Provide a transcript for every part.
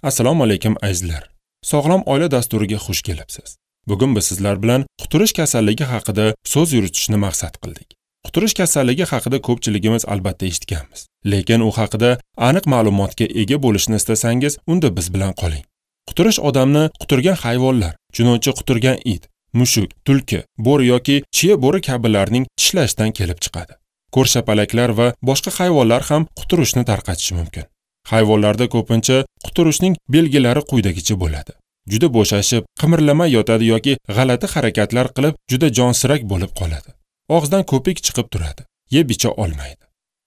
Assalomu alaykum azizlar. Sog'lom oila dasturiga xush kelibsiz. Bugun biz sizlar bilan quturish kasalligi haqida so'z yuritishni maqsad qildik. Quturish kasalligi haqida ko'pchiligimiz albatta eshitganmiz. Lekin u haqida aniq ma'lumotga ega bo'lishni istasangiz, unda biz bilan qoling. Quturish odamni quturgan hayvonlar, chunonchi quturgan it, mushuk, tulki, bo'ri yoki chiya bo'ri kabilarning tishlashidan kelib chiqadi. Ko'rshapalaklar va boshqa hayvonlar ham quturishni tarqatishi mumkin. Hayvonlarda ko'pincha quturishning belgilari quyidagicha bo'ladi. Juda bo'shashib, qimirlamay yotadi yoki g'alati harakatlar qilib, juda jonsirak bo'lib qoladi. Og'zidan ko'pik chiqib turadi, yeb icha olmaydi.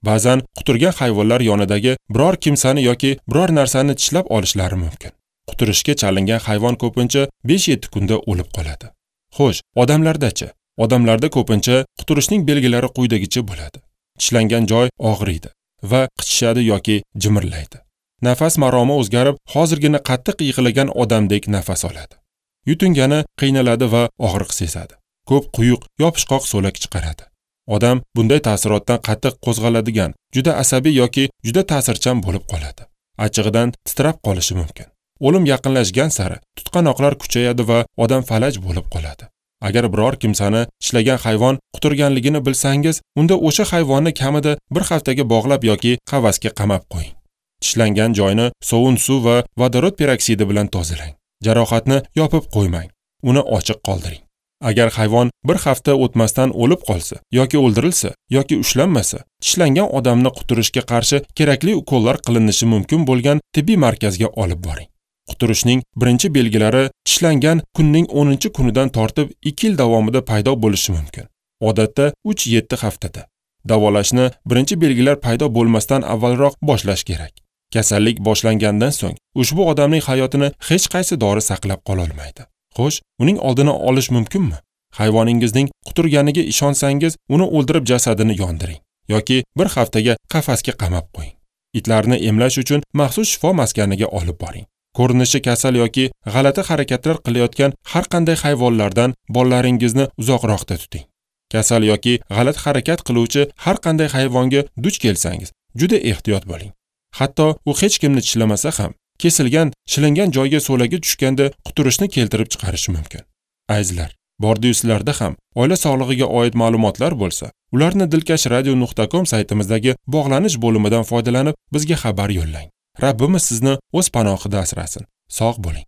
Ba'zan quturgan hayvonlar yonidagi biror kimsani yoki biror narsani tishlab olishlari mumkin. Quturishga chalingan hayvon ko'pincha 5-7 kunda o'lib qoladi. Xo'sh, odamlarda-chi? Odamlarda ko'pincha quturishning belgilari quyidagicha bo'ladi. Tishlangan joy og'riydi va qichishadi yoki jimirlaydi. Nafas maromi o'zgarib, hozirgina qattiq yig'lagan odamdek nafas oladi. Yutungani qiynaladi va og'riq sezadi. Ko'p quyuq, yopishqoq so'lak chiqaradi. Odam bunday ta'sirotdan qattiq qo'zg'aladigan, juda asabiy yoki juda ta'sirchan bo'lib qoladi. Achchig'idan titrab qolishi mumkin. O'lim yaqinlashgan sari tutqanoqlar kuchayadi va odam falaj bo'lib qoladi. Agar biror kimsani tishlagan hayvon quturganligini bilsangiz, unda o'sha hayvonni kamida bir haftaga bog'lab yoki qafasga qamab qo'ying. Tishlangan joyni sovun suv va vodorod peroksidi bilan tozalang. Jarohatni yopib qo'ymang, uni ochiq qoldiring. Agar hayvon bir hafta o'tmasdan o'lib qolsa yoki o'ldirilsa yoki ushlanmasa, tishlangan odamni quturishga qarshi kerakli ukollar qilinishi mumkin bo'lgan tibbiy markazga olib boring. Quturishning birinchi belgilari tishlangan kunning 10-kunidan tortib 2 yil davomida paydo bo'lishi mumkin. Odatda 3-7 haftada. Davolashni birinchi belgilar paydo bo'lmasdan avvalroq boshlash kerak. Kasallik boshlangandan so'ng ushbu odamning hayotini hech qaysi dori saqlab qola olmaydi. Xo'sh, uning oldini olish mumkinmi? Hayvoningizning quturganiga ishonsangiz, uni o'ldirib jasadini yondiring yoki bir haftaga qafasga qamab qo'ying. Itlarni emlash uchun maxsus shifo maskaniga olib boring. Ko'rinishi kasal yoki g'alati harakatlar qilayotgan har qanday hayvonlardan bolalaringizni uzoqroqda tuting. Kasal yoki g'alati harakat qiluvchi har qanday hayvonga duch kelsangiz, juda ehtiyot bo'ling. Hatto u hech kimni tishlamasa ham, kesilgan, shilingan joyga so'lagi tushganda quturishni keltirib chiqarishi mumkin. Azizlar, bordiyu sizlarda ham oila sog'lig'iga oid ma'lumotlar bo'lsa, ularni dilkashradio.com saytimizdagi bog'lanish bo'limidan foydalanib bizga xabar yo'llang. Rabbimiz sizni o'z panohida asrasin. Sog' bo'ling.